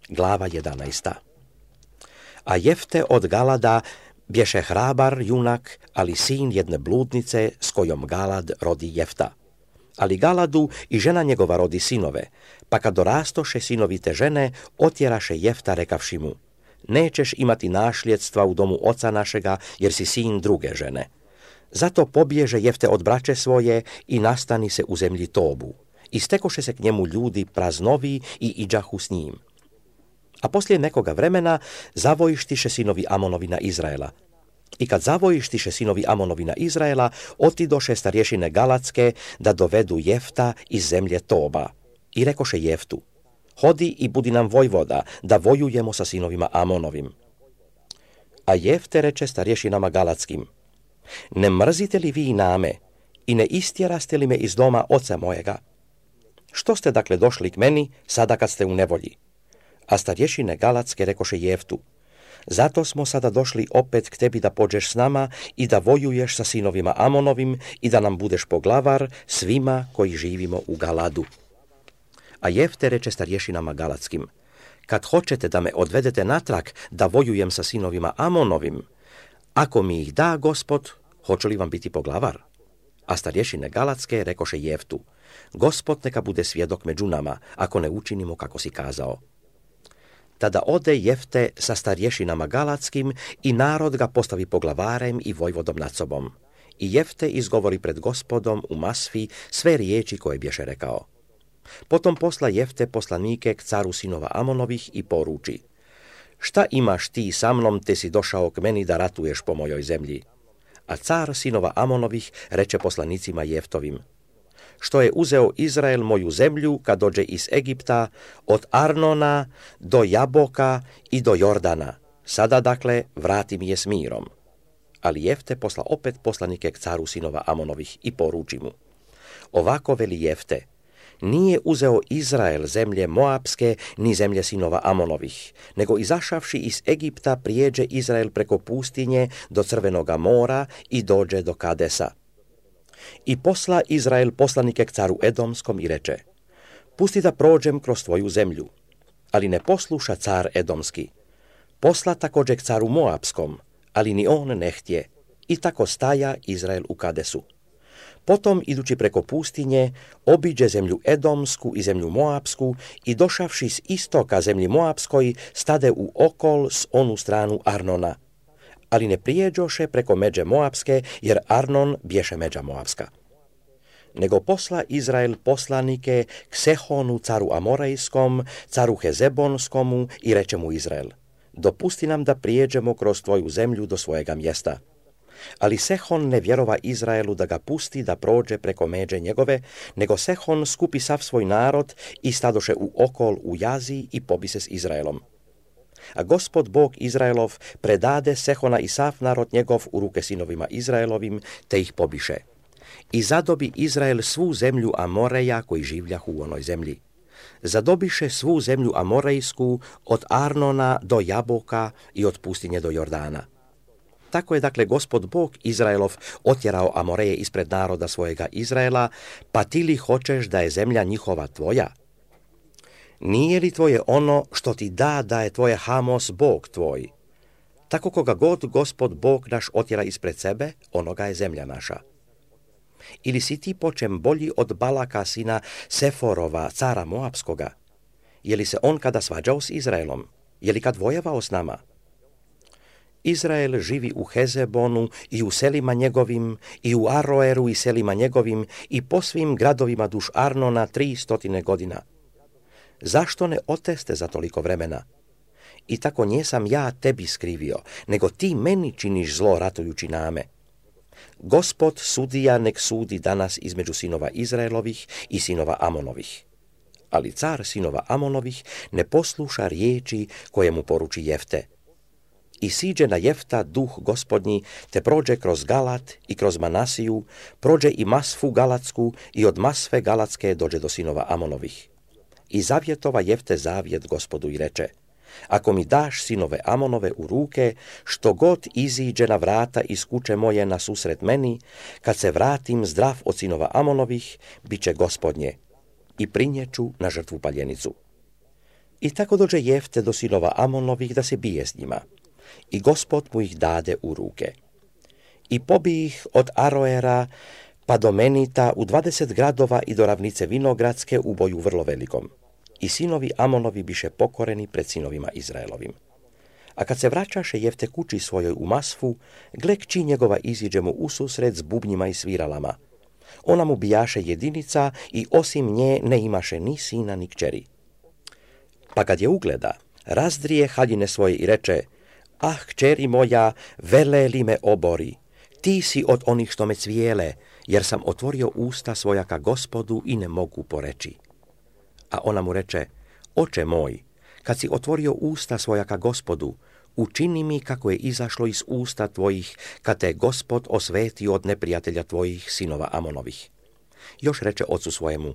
Glava 11. A Jefte od Galada bješe hrabar junak, ali sin jedne bludnice s kojom Galad rodi Jefta. Ali Galadu i žena njegova rodi sinove, pa kad dorastoše sinovi te žene, otjeraše Jefta rekavši mu: nećeš imati našljedstva u domu oca našega, jer si sin druge žene. Zato pobježe Jefte od braće svoje i nastani se u zemlji Tobu. I stekoše se k njemu ljudi praznovi i iđahu s njim. A poslije nekoga vremena zavojištiše sinovi Amonovi na Izraela. I kad zavojištiše sinovi Amonovi na Izraela, otidoše starješine Galatske da dovedu Jefta iz zemlje Toba. I rekoše Jeftu: hodi i budi nam vojvoda, da vojujemo sa sinovima Amonovim. A Jefte reče starješinama Galatskim: ne mrzite li vi name i ne istjeraste li me iz doma oca mojega? Što ste dakle došli k meni sada kad ste u nevolji? A starješine Galatske rekoše Jeftu: zato smo sada došli opet k tebi da pođeš s nama i da vojuješ sa sinovima Amonovim i da nam budeš poglavar svima koji živimo u Galadu. A Jefte reče starješinama Galatskim: kad hoćete da me odvedete natrag da vojujem sa sinovima Amonovim, ako mi ih da Gospod, hoće li vam biti poglavar? A starješine Galatske rekoše Jeftu: Gospod neka bude svjedok među nama, ako ne učinimo kako si kazao. Tada ode Jefte sa starješinama Galatskim i narod ga postavi poglavarem i vojvodom nad sobom. I Jefte izgovori pred Gospodom u Masfi sve riječi koje bješe rekao. Potom posla Jefte poslanike k caru sinova Amonovih i poruči: šta imaš ti sa mnom, te si došao k meni da ratuješ po mojoj zemlji? A car sinova Amonovih reče poslanicima Jeftovim: što je uzeo Izrael moju zemlju kad dođe iz Egipta, od Arnona do Jaboka i do Jordana. Sada dakle vrati mi je s mirom. Ali Jefte posla opet poslanike k caru sinova Amonovih i poruči mu: ovako veli Jefte: nije uzeo Izrael zemlje Moapske ni zemlje sinova Amonovih, nego izašavši iz Egipta prijeđe Izrael preko pustinje do Crvenoga mora i dođe do Kadesa. I posla Izrael poslanike k caru Edomskom i reče: pusti da prođem kroz tvoju zemlju. Ali ne posluša car Edomski. Posla također k caru Moapskom, ali ni on ne htje. I tako staja Izrael u Kadesu. Potom, idući preko pustinje, obiđe zemlju Edomsku i zemlju Moapsku i došavši s istoka zemlji Moapskoj, stade u okol s onu stranu Arnona. Ali ne prijeđoše preko međe Moapske, jer Arnon bješe međa Moapska. Nego posla Izrael poslanike k Sehonu caru Amorejskom, caru Hezebonskomu i reče mu Izrael: dopusti nam da prijeđemo kroz tvoju zemlju do svojega mjesta. Ali Sehon ne vjerova Izraelu da ga pusti da prođe preko međe njegove, nego Sehon skupi sav svoj narod i stadoše u okol u jazi i pobi se s Izraelom. A Gospod Bog Izraelov predade Sehona i sav narod njegov u ruke sinovima Izraelovim, te ih pobiše. I zadobi Izrael svu zemlju Amoreja koji življahu u onoj zemlji. Zadobiše svu zemlju Amorejsku od Arnona do Jaboka i od pustinje do Jordana. Tako je dakle Gospod Bog Izraelov otjerao Amoreje ispred naroda svojega Izraela, pa ti li hoćeš da je zemlja njihova tvoja? Nije li tvoje ono što ti da je tvoje Hamos Bog tvoj? Tako koga god Gospod Bog naš otjera ispred sebe, onoga je zemlja naša. Ili si ti počem bolji od Balaka sina Seforova, cara Moapskoga? Je li se on kada svađao s Izraelom? Je li kad vojevao s nama? Izrael živi u Hezebonu i u selima njegovim, i u Aroeru i selima njegovim, i po svim gradovima duž Arnona 300 godina. Zašto ne oteste za toliko vremena? I tako njesam ja tebi skrivio, nego ti meni činiš zlo ratujući name. Gospod sudija nek sudi danas između sinova Izraelovih i sinova Amonovih. Ali car sinova Amonovih ne posluša riječi koje mu poruči Jefte. I siđe na Jefta duh Gospodnji, te prođe kroz Galat i kroz Manasiju, prođe i Masfu Galatsku i od Masfe Galatske dođe do sinova Amonovih. I zavjetova Jefte zavjet Gospodu i reče: ako mi daš sinove Amonove u ruke, što god iziđe na vrata iz kuće moje na susret meni, kad se vratim zdrav od sinova Amonovih, bit će Gospodnje, i prinjeću na žrtvu paljenicu. I tako dođe Jefte do sinova Amonovih da se bije s njima. I Gospod mu ih dade u ruke. I pobije ih od Aroera pa do Menita u 20 gradova i do ravnice Vinogradske u boju vrlo velikom. I sinovi Amonovi biše pokoreni pred sinovima Izraelovim. A kad se vraćaše Jefte kući svojoj u Masfu, gle kći njegova iziđe mu ususret s bubnjima i sviralama. Ona mu bijaše jedinica i osim nje ne imaše ni sina ni kćeri. Pa kad je ugleda, razdrije haljine svoje i reče: Ah, kćeri moja, vele li me obori, ti si od onih što me cvijele, jer sam otvorio usta svoja ka Gospodu i ne mogu poreći. A ona mu reče: Oče moj, kad si otvorio usta svoja ka Gospodu, učini mi kako je izašlo iz usta tvojih, kad te Gospod osvetio od neprijatelja tvojih, sinova Amonovih. Još reče ocu svojemu: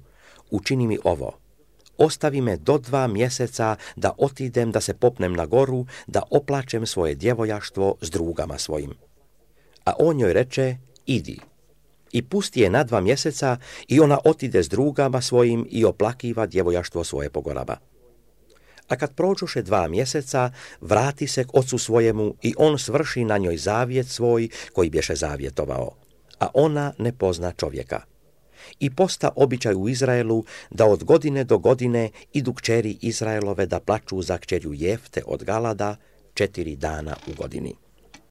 Učini mi ovo, ostavi me do 2 mjeseca da otidem, da se popnem na goru, da oplačem svoje djevojaštvo s drugama svojim. A on joj reče: Idi. I pusti je na 2 mjeseca i ona otide s drugama svojim i oplakiva djevojaštvo svoje po gorama. A kad prođoše 2 mjeseca, vrati se k ocu svojemu i on svrši na njoj zavjet svoj koji bješe zavjetovao, a ona ne pozna čovjeka. I posta običaj u Izraelu da od godine do godine idu kćeri Izraelove da plaču za kćerju Jefte od Galada 4 dana u godini.